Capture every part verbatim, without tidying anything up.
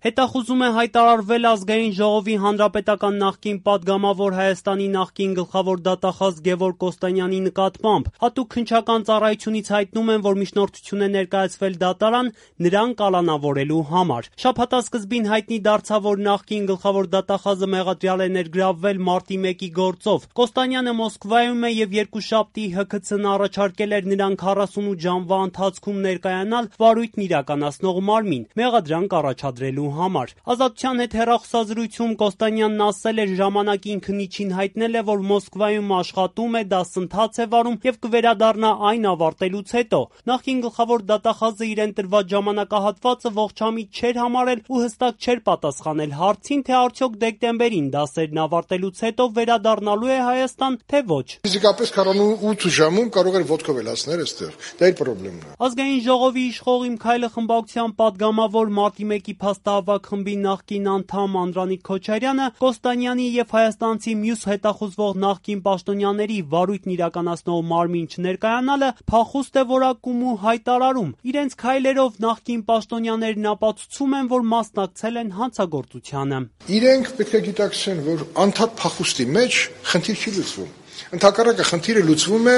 Հետախուզում է հայտարարվել Ազգային ժողովի հանրապետական նախկին պատգամավոր Հայաստանի նախկին գլխավոր դատախազ Գևորգ Կոստանյանի նկատմամբ։ Հատուկ քննչական ծառայությունից հայտնում են, որ միջնորդություն է ներկայացվել դատարան նրան կալանավորելու համար։ Շաբաթասկզբին հայտնի դարձավ, որ նախկին գլխավոր դատախազը մեղադրյալ է ներգրավվել մարտի մեկի գործով։ Կոստանյանը Մոսկվայում է եւ երկուշաբթի Հ K C-ն առաջարկել էր նրան քառասունութ ժամվա ընթացքում ներկայանալ վարույթն իրականացնող մարմին՝ մեղադրանք առաջադրելու համար։ Ազատության հետ հեռախոսազրույցում Կոստանյանն ասել էր, ժամանակին քննիչին հայտնել է, որ Մոսկվայում աշխատում է, դասընթաց է վարում եւ կվերադառնա այն ավարտելուց հետո։ Նախկին գլխավոր դատախազը իրեն տրված ժամանակահատվածը ողջամիտ չէր համարել ու հստակ չէր պատասխանել հարցին, թե արդյոք դեկտեմբերին դասերն ավարտելուց հետո վերադառնալու է Հայաստան, թե ոչ։ Ֆիզիկապես քառանութ ժամում կարող էր ոտքով էլ հասնել այստեղ։ Դա իր խնդիրն է։ Ազգային ժողովի իշխող Իմ Քայլը խմբակցության պատգամավոր մարտի մեկի փաստահավաք խմբի նախկին անդամ Անդրանիկ Քոչարյանը Կոստանյանի եւ հայաստանցի մյուս հետախուզվող նախկին պաշտոնյաների վարույթն իրականացնող մարմին չներկայանալը փախուստ է որակում ու հայտարարում։ Իրենց քայլերով նախկին պաշտոնյաներն ապացուցում են, որ մասնակցել են հանցագործությանը։ Իրենք պետք է գիտակցեն, որ անդադ փախուստի մեջ խնդիր չի լուծվում։ Ընդհակառակը խնդիրը լուծվում է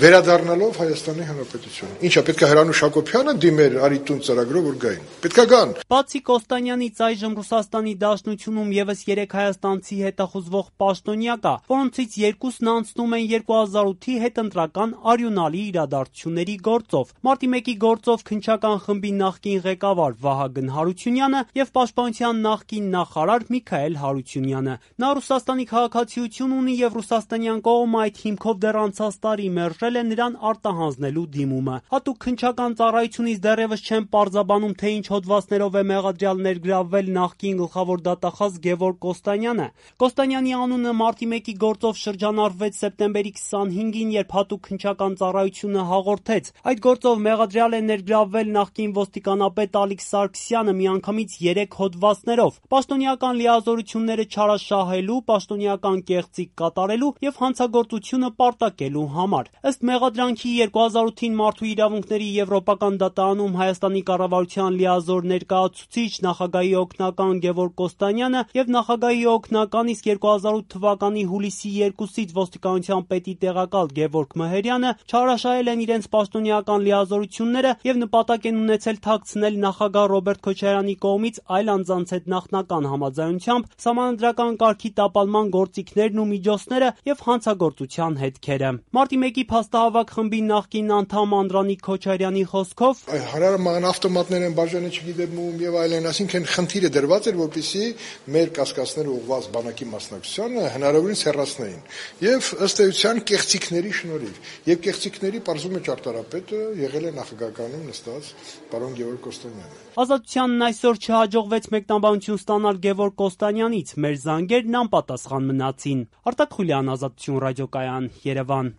վերադառնալով Հայաստանի Հանրապետություն։ Ինչա պետք է Հրանուշ Հակոբյանը դիմեր Արիտուն ծրագրով, որ գային։ Պետք է գան։ Բացի Կոստանյանից այժմ Ռուսաստանի Դաշնությունում եւս երեք հայաստանցի հետախուզվող պաշտոնյա կա, որոնցից երկուսն անցնում են երկու հազար ութի հետընտրական արյունալի իրադարձությունների գործով։ Մարտի մեկի գործով քննչական խմբի նախկին ղեկավար Վահագն Հարությունյանը եւ Պաշտպանության նախկին նախարար Միքայել Հարությունյանը։ Նա Ռուսաստանի քաղաքացիություն ունի եւ ռուսաստանյան կողմը այդ հիմքով դեռ անցած տարի մերժել է նրան արտահանձնելու դիմումը։ Հատուկ քննչական ծառայությունից դեռևս չեն պարզաբանում, թե ինչ հոդվածներով է մեղադրյալ ներգրավվել նախկին գլխավոր դատախազ Գևորգ Կոստանյանը։ Կոստանյանի անունը մարտի մեկի գործով շրջանառվեց սեպտեմբերի քսանհինգին, երբ հատուկ քննչական ծառայությունը հաղորդեց. այդ գործով մեղադրյալ է ներգրավվել նախկին ոստիկանապետ Ալիկ Սարգսյանը միանգամից երեք հոդվածներով՝ պաշտոնեական լիազորությունները չարաշահելու, պաշտոնեական կեղծիք կատարելու եւ հանցագործությունը պարտակելու համար։ Ըստ մեղադրանքի երկու հազար ութին Մարդու իրավունքների եվրոպական դատարանում Հայաստանի կառավարության լիազոր ներկայացուցիչ, նախագահի օգնական Գևորգ Կոստանյանը եւ նախագահի օգնական, իսկ երկու հազար ութ թվականի հուլիսի երկուսից ոստիկանության պետի տեղակալ Գևորգ Մհերյանը չարաշահել են իրենց պաշտոնեական լիազորությունները եւ նպատակ են ունեցել թաքցնել նախագահ Ռոբերտ Քոչարյանի կողմից այլ անձանց հետ նախնական համաձայնությամբ սահմանադրական կարգի տապալման գործիքներն ու միջոցները եւ հանցագործության հետքերը։ Մարտի մեկի փաստահավաք խմբի նախկին անդամ Անդրանիկ Քոչարյանի խոսքով հարարման ավտոմատներ են բաժանը չգիտեմ ում եւ այլն, այսինքն խնդիրը դրված էր, որպեսզի մեր կասկածները ուղղված բանակի մասնակցությանը հնարավորինս հեռացնեին եւ ըստ էության կեղծիքների շնորհիվ եւ կեղծիքների պարզում է ճարտարապետը, եղել է նախագահականում նստած պարոն Գևորգ Կոստանյանը։ Ազատությանն այսօր չհաջողվեց մեկնաբանություն ստանալ Գևորգ Կոստանյանից, մեր զանգերն անպատասխան մնացին։ Արտակ Խուլյան, Ազատություն ռադիոկայան, Երևան։